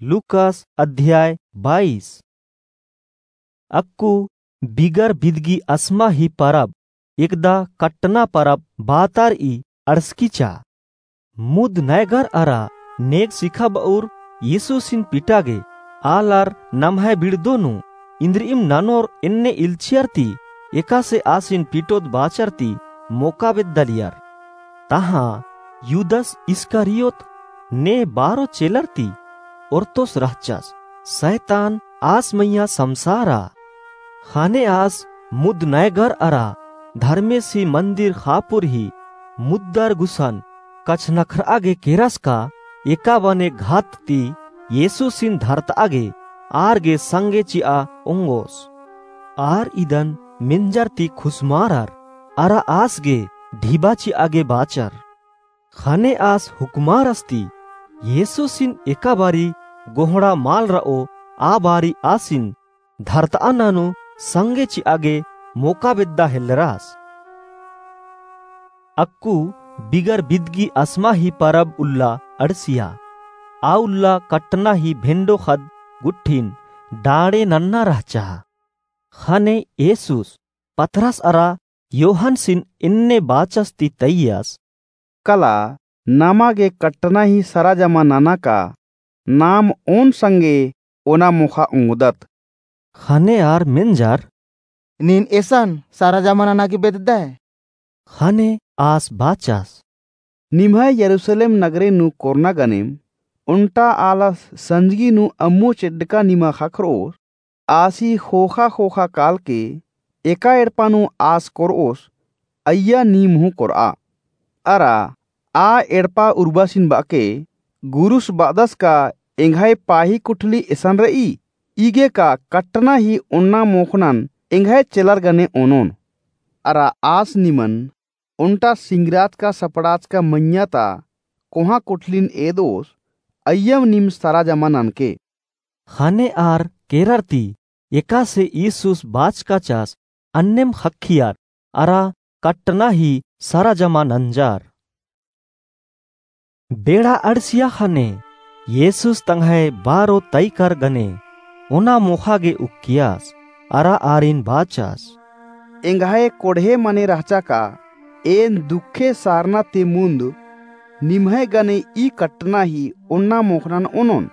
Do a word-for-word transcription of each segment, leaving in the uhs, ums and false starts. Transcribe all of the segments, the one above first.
लूकास अध्याय बाईस। अक्कु बिगर बिदगी असमा ही परब, एकदा कट्टना परब बातारई अड़सकीचा। मुद नैगर अरा नेग सिखाब'उर यीशुसिन पिटागे, आलर नम्है बिड़दो नू इन्द्रिइम ननोर एन्ने इल्चियर ती एकासे आसिन पिटोत बाचर ती मोका बेद्दालियर। तहाँ युदस इस्करियोत ने बारो चेलर ती ओर्तोस रहचस। सैतान आस मइय्याँ समसारा। ख़ने आस मुद नैगर अरा धर्मेसी मन्दिर ख़ापुर ही मुद्दर गुसन कछनख्र'आ गे केरस का एका बने घात ती यीशुसिन धरत'आ गे आर गे संगे चि'आ ओंगोस। आर इदन मेंजर ती खुसमारर अरा आस गे ढिबा चि'आ गे बाचर। ख़ने आस हुकमारस ती यीशुसिन एका बारी गोहड़ा मल र'ओ आ बारी आसिन धरत'आ ननू संगे चि'आ गे मोका बेद्दा हेल्लरस। अक्कु बिगर बिदगी असमा ही परब उल्ला अड़सिया। आ उल्ला कट्टना ही भेंडो ख़द्द गुट्ठिन डाँड़े नन्ना रहचा। ख़ने यीशुस पतरस अरा योहनसिन एन्ने बाचस ती तैयस, कला नमा गे कट्टना ही सरा जमा नना का नाम ओन संगे ओना मोख़ा ओंगदत। ख़ने आर मेंजर, नीन एसन सरा जमा नना गे बेद्दय। ख़ने आस बाचस, निम्है यरूसलेम नगरे नू कोरना गनेम, ओन्टा आलस संजगी नू अम्मु चेड्डका निमा ख़क्खर'ओस, आसी ख़ोख़ा ख़ोख़ा कालके एका एड़पा नू आस कोर'ओस, अइय्या नीम हूँ कोर'आ। अरा आ एड़पा उर्बासिन ब'अके, गुरुस ब'अदस का एंग्है पाही कुठली एसन र'ई, इगे का कट्टना ही ओन्ना मोख़नन एंग्है चेलर गने ओनोन। अरा आस निमन ओन्टा सिंगराचका सपड़ाचका मइय्याँ ता कोहाँ कुठलिन एद'ओस, अइय्यम नीम सरा जमा ननके। ख़ने आर केरर ती एकासे यीशुस बाचकाचस अन्नेम ख़क्खियर अरा कट्टना ही सरा जमा नंजर। बेड़ा अड़सिया ख़ने यीशुस तंग्है बारो तैकर गने ओना मोख़ा गे उक्कियस अरा आरिन बाचस, एंग्है कोड़हे मने रहचा का एन दुखे सारना ती मुन्द निम्है गने ई कट्टना ही ओन्ना मोख़नन ओनोन।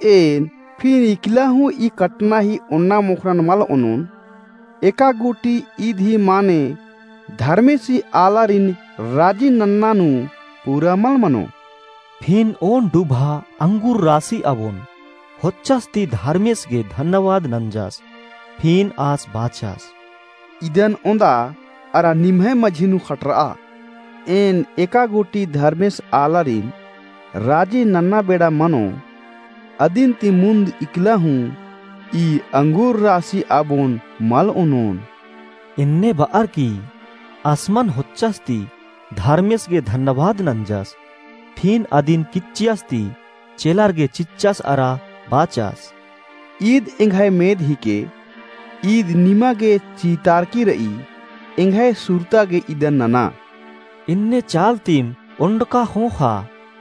एन फिन इकला हूँ ई कट्टना ही ओन्ना मोख़नन मल ओनोन। एका गूटी ईद ही माने धर्मेसी आलारिन राजी नन्ना नू पूरा मल मनो। फिन ओन डुभा अंगुर रासी अबोन होच्चस ती धर्मेस गे धन्यवाद नंजस। फिन आस बाचस, इदन ओन्दा अरा निम्है मझी नू खटर'आ। एन एका गूटी धर्मेस आलारिन राजी नन्ना बेड़ा मनो, अदिन ती मुन्द इकला हूँ ई अंगुर रासी अबोन मल ओनोन। एन्ने ब'अर की आसमन होच्चस ती धर्मेस गे धन्यवाद नंजस। फिन अदिन किच्चियस ती चेलर गे चिच्चस अरा बाचस, ईद एंग्है मेद हिके, ईद निमा गे चीतारकी र'ई, एंग्है सुरता गे इदन नना। एन्ने चाल तिम ओन्डका ख़ोख़ा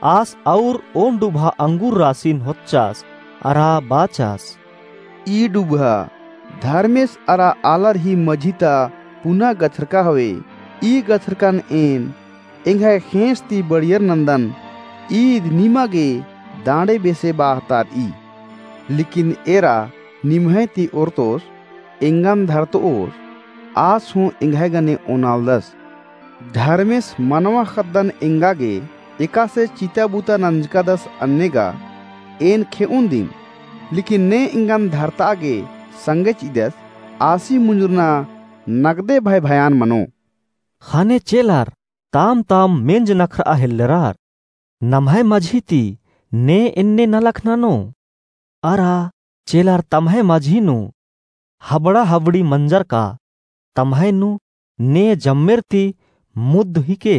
आस अउर ओन डुभा अंगुर रासिन होच्चस अरा बाचस, ई डुभा धर्मेस अरा आलर ही मझी ता पुना गछरका हवे। ई गछरकन एन एंग्है ख़ेंस ती बड़ियर नन्दन। ईद निमा गे दाँड़े बेसे बाहतार'ई। लेकिन एरा निम्है ती ओर्तोस एंगन धरत'ओस, आस हूँ एंग्है गने ओनालदस। धर्मेस मनवा ख़द्दन एंगा गे एकासे चिता बुता नंजकादस अन्नेगा एन खे'ओन दिम। लेकिन ने एंगन धरत'आ गे संगे चि'अदस, आसी मुंजुरना नगदे भय भयान मनो। ख़ने चेलर ताम ताम मेंज नखर'आ हेल्लरर, नम्है मझी ती ने एन्ने नलख ननो? अरा चेलर तम्है मझी नू हबड़ा हबड़ी मंजर का तम्है नू ने जम्मेर ती मुद्द हिके?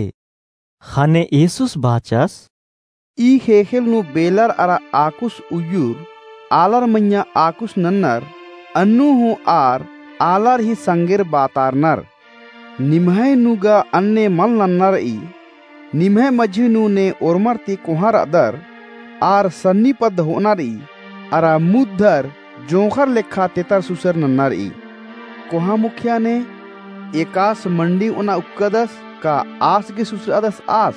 ख़ने येसुस बाचस, ई ख़ेख़ेल नू बेलर अरा आकुस उइय्युर आलर मइय्याँ आकुस नन्नर अन्नु हूँ आर आलर ही संगेर बातारनर। निम्है नू गा अन्ने मल नन्ना र'ई। निम्है मझी नू ने ओर्मर ती कोहाँ र'अदर आर सन्नी पद्द हो'अना र'ई। अरा मुद्दर जोंख़र लेखा तेतर सुसर नन्ना र'ई। कोहाँ मुखिया ने, एकास मंडी ओना उक्कदस का आस गे सुसर'अदस आस?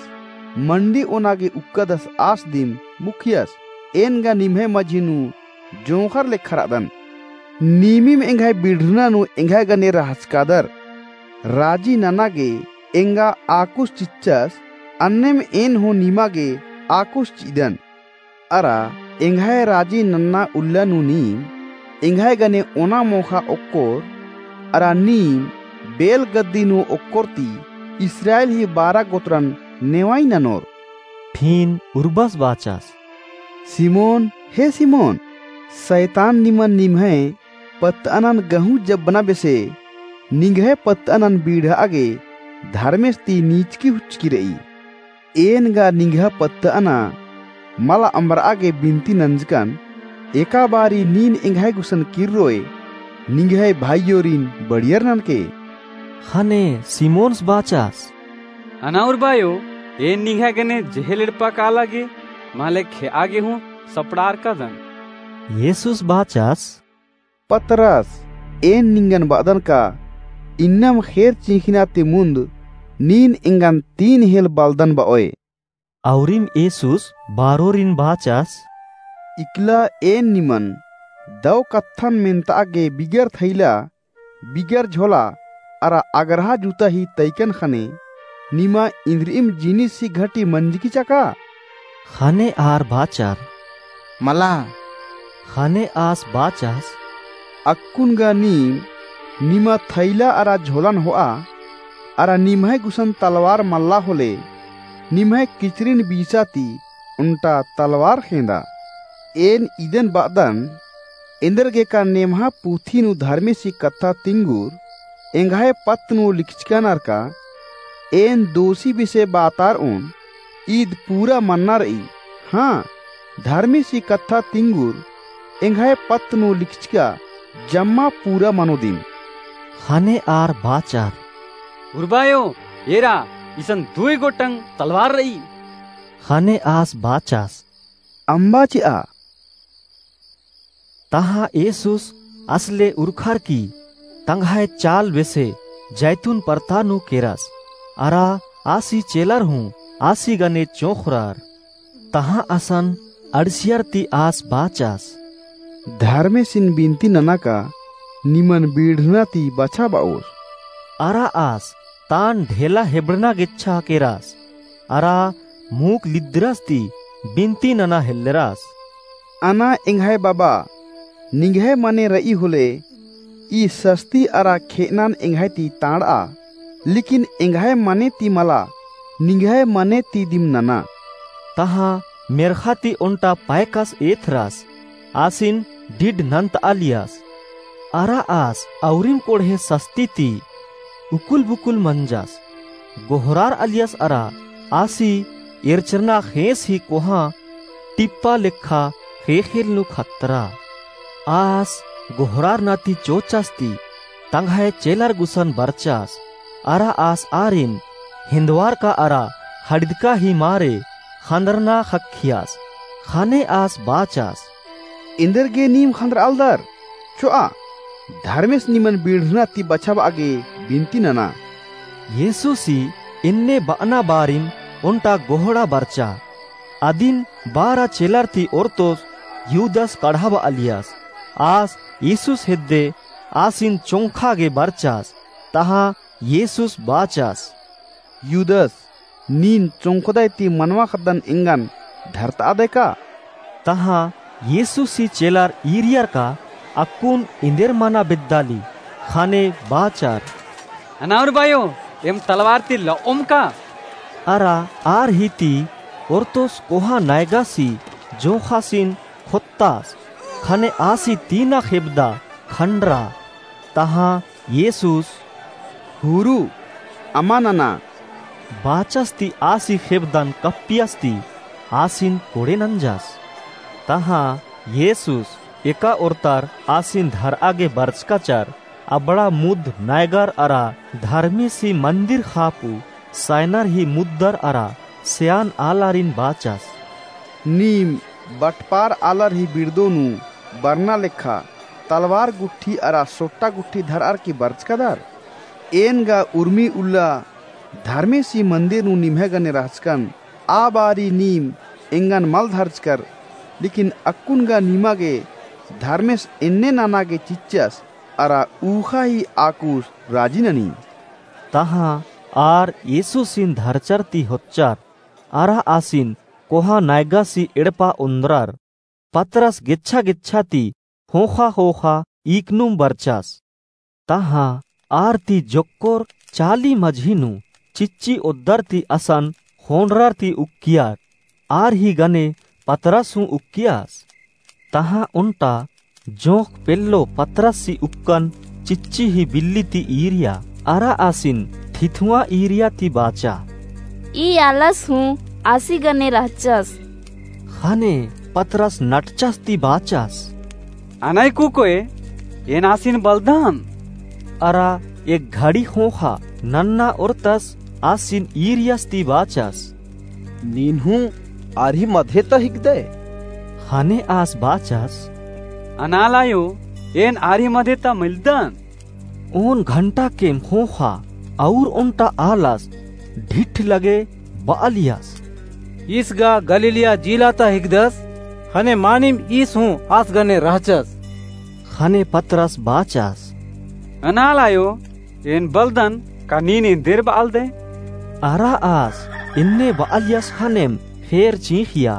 मंडी ओना गे उक्कदस आस दिम मुखियस। एन गा निम्है मझी नू जोंख़र लेखा र'अदन। नीमिम एंग्है बिड़रना नू एंग्है गने रहचकादर। राजी नना गे एंगा आकुस चिच्चस, अन्नेम एन हूँ निमा गे आकुस चि'अदन। अरा एंग्है राजी नन्ना उल्ला नू नीम एंग्है गने ओना मोख़ा ओक्कोर, अरा नीम बेल गद्दी नू ओक्कोर ती इस्राएल ही बारा गोत्रन नेवाई ननोर। फिन उर्बस बाचस, सिमोन, हे सिमोन, सैतान निमन निम्है पत्तअनन गहूँ जब्बना बेसे निंग्है पत्तअनन बीड़हा गे धर्मेस ती नीचकी हुचकी र'ई। एन गा निंग्है पत्तअना मला अम्बर'आ गे बिनती नंजकन, एका बारी नीन एंग्है गुसन किर्रोय निंग्है भाईयोरिन बढ़ियर ननके। ख़ने सिमोनस बाचस, अना उर्बायो, एन निंग्है गने जेहेल एड़पा काला गे, माले खे'आ गे हूँ सपड़ारकादन। येसुस बाचस, पतरस, एन निंगन ब'अदन का, इन्नम ख़ेर चिंख़िना ती मुन्द नीन एंगन तीन हेल बलदन ब'ओय। अउरिम येसुस बारोरिन बाचस, इकला एन निमन दौ कत्थन मेन्त'आ गे बिगर थैला, बिगर झोला, अरा अगरहा जूता ही तैकन ख़ने, निमा इन्द्रिइम जिनिस ही घटी मंजकी चका? ख़ने आर बाचर, मला। ख़ने आस बाचस, अक्कुन गा नीम निमा थैला अरा झोलन हो'आ, अरा निम्है गुसन तलवार मल्ला होले, निम्है किचरिन बीसा ती ओन्टा तलवार ख़ेंदा। एन इदन ब'अदन, एन्देरगेका नेम्हा पुथी नू धर्मेसी कत्था तिंगुर एंग्है पत्त नू लिखचका नरका, एन दोसी बेसे बातार'ओन, ईद पूरा मन्ना र'ई। हाँ, धर्मेसी कत्था तिंगुर एंग्है पत्त नू लिखचका जम्मा पूरा मनोदिम। ख़ने आर बाचर, उर्बायो, एरा, इसन दुई गोटंग तलवार र'ई। ख़ने आस बाचस, अम्बा चि'आ। तहाँ येसुस आसले उरखर की तंग्है चाल बेसे जैतून परता नू केरस, अरा आसी चेलर हूँ आसी गने चोंख़रर। तहाँ असन अंड़सियर ती आस बाचस, धर्मेसिन बिनती नना का निमन बिड़रना ती बछाब'ओस। अरा आस तान ढेला हेबड़ना गेच्छा केरस, अरा मुख लिद्दरस ती बिनती नना हेल्लरस। अना एंग्है बाबा, निंग्है मने र'ई होले, ई सस्ती अरा खे'अनन एंग्है ती तांड़'आ, लेकिन एंग्है मने ती मला, निंग्है मने ती दिम नना। तहाँ मेर्ख़ा ती ओन्टा पैकस एथरस, आसिन डिड नन्त'आलियस। अरा आस अउरिम कोड़हे सस्ती ती उकुल-बुकुल मंजस, गोहरार'अलियस अरा आसी एरचरना ख़ेंस ही कोहाँ टिप्पा लेखा ख़ेख़ेल नू ख़त्तरा। आस गोहरारना ती चोचस ती तंग्है चेलर गुसन बरचस, अरा आस आरिन हेन्दवारका अरा हड़दका ही मारे ख़न्दरना ख़क्खियस। ख़ने आस बाचस, एन्देरगे नीम ख़न्दर'आलदर? चो'आ, धर्मेस निमन बिड़रना ती बछाब'आ गे बिनती नना। येसुसी एन्ने ब'अना बारिम ओन्टा गोहड़ा बरचा। अदिन बारा चेलर ती ओर्तोस युदस कड़हाब'आलियस। आस येसुस हेद्दे आसिन चोंख़ा गे बरचस। तहाँ येसुस बाचस, युदस, नीन चोंख़दय ती मनवा ख़द्दन एंगन धरत'आदय का? तहाँ येसुसी चेलर ईरियर का अक्कुन एन्देर मना बेद्दाली। ख़ने बाचर, अना उर्बायो, एम तलवार ती ल'ओम का? अरा आर ही ती ओर्तोस कोहाँ नैगासी जोंख़ासिन ख़ोत्तास, ख़ने आसी तीना ख़ेबदा ख़ंडरा। तहाँ येसुस, हुरु, अमा नना। बाचस ती आसी ख़ेबदन कप्पियस ती आसिन कोड़े नंजस। तहाँ येसुस एका ओर्तर आसिन धर'आ गे बरचकाचर, अबड़ा मुद्द नैगर अरा धर्मेसी मन्दिर ख़ापु सैनर ही मुद्दर अरा सेयान आलारिन बाचस, नीम बटपार आलर ही बिड़दो नू बरना लेखा तलवार गुट्ठी अरा सोट्टा गुट्ठी धरअर की बरचकदर? एन गा उर्मी उल्ला धर्मेसी मंदिर नू निम्है गने रहचकन, आ बारी नीम एंगन मल धरचकर, लेकिन अक्कुन गा निमा गे धर्मेस एन्ने नना गे चिच्चस, अरा ऊखा ही आकुस राजी ननी। तहाँ आर येसुसिन धरचर ती होच्चर, अरा आसिन कोहा नैगासी एड़पा ओन्द्रर। पतरस गेच्छा गेच्छा ती ख़ोख़ा ख़ोख़ा ईकनुम बरचस। तहाँ आर ती जोक्कोर चाली मझी नू चिच्ची ओद्दर ती असन ख़ोंड़रर ती उक्कियर। आर ही गने पतरस हूँ उक्कियस। तहाँ ओन्टा जोंख़ पेल्लो पतरसी उक्कन चिच्ची ही बिल्ली ती ईरिया, अरा आसिन थिथुआँ ईरिया ती बाचा, ई आलस हूँ आसी गने रहचस। ख़ने पतरस नटचस ती बाचस, अनय कुकोय, एन आसिन बलदन। अरा एक घड़ी ख़ोख़ा नन्ना ओर्तस आसिन ईरियस ती बाचस, नीन हूँ आर ही मधे ता हिकदय? ख़ने आस बाचस, अनाल आयो, एन आर ही मधे ता मलदन। ओन घंटा केम ख़ोख़ा अउर ओन्टा आलस ढिठ लगे बआलियस, ईस गा गलीलिया जिला ता हिकदस, ख़ने मानिम ईस हूँ आस गने रहचस। ख़ने पतरस बाचस, अनाल आयो, एन बलदन, का नीन एन्देर बआलदय? अरा आस एन्ने बआलियस ख़नेम फेर चींख़िया।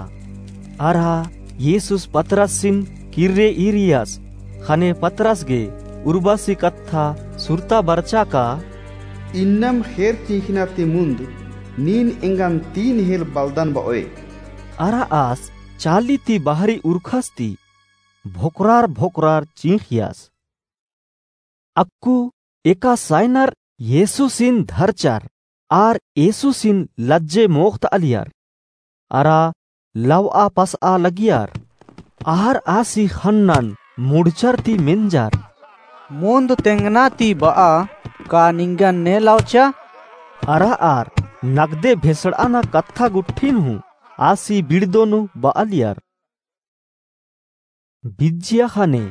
अरा येसुस पतरसिन किर्रे ईरियस, ख़ने पतरस गे उर्बासी कत्था सुरता बरचा का, इन्नम ख़ेर चींख़िना ती मुन्द नीन एंगन तीन हेल बलदन बओय। अरा आस चाली ती बहरी उरखस ती भोकरार भोकरार चींख़ियस। अक्कु एका सायनर येसुसिन धरचर, आर येसुसिन लज्जे मोख़तआलियर। अरा लवआ पसआ लगियर, आर आसी ख़न्नन मुड़चर ती मेंजर, मुन्द तेंगना ती बआ, का निंगन ने लवचा? अरा आर नगदे भेसड़ाना कत्था गुट्ठिन हूँ आसी बिड़दो नू बआलियर। बिज्जिया ख़ने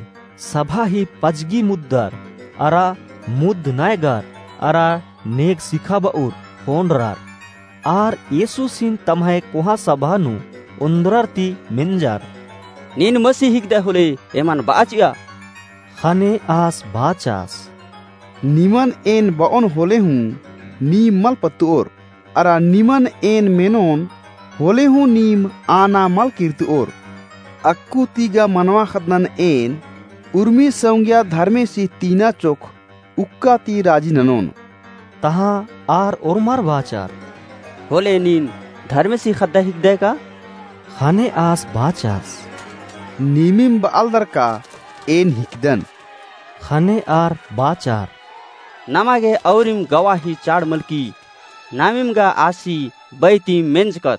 सभा ही पजगी मुद्दर, अरा मुद्द नैगर, अरा नेग सिखाबउर ख़ोंड़रर। आर येसुसिन तम्है कोहाँ सभा नू ओन्द्रर ती मेंजर, नीन मसीह हिकदय होले एमन बआ चिआ। ख़ने आस बाचस, निमन एन बओन होले हूँ नीम मल पत्तओर, अरा निमन एन मेनोन होले हूँ नीम आना मल किर्तओर। अक्कु ती गा मनवा ख़द्दनन एन उर्मी सौंगिया धर्मेसी तीना चोख उक्का ती राजी ननोन। तहाँ आर ओर्मर बाचर, होले नीन धर्मेसी ख़द्द हिकदय का? ख़ने आस बाचस, नीमिम बआलदर का एन हिकदन। ख़ने आर बाचर, नमा गे औरिम गवाही चाड़ मलकी, नामिम गा आसी बई ती मेंजकत।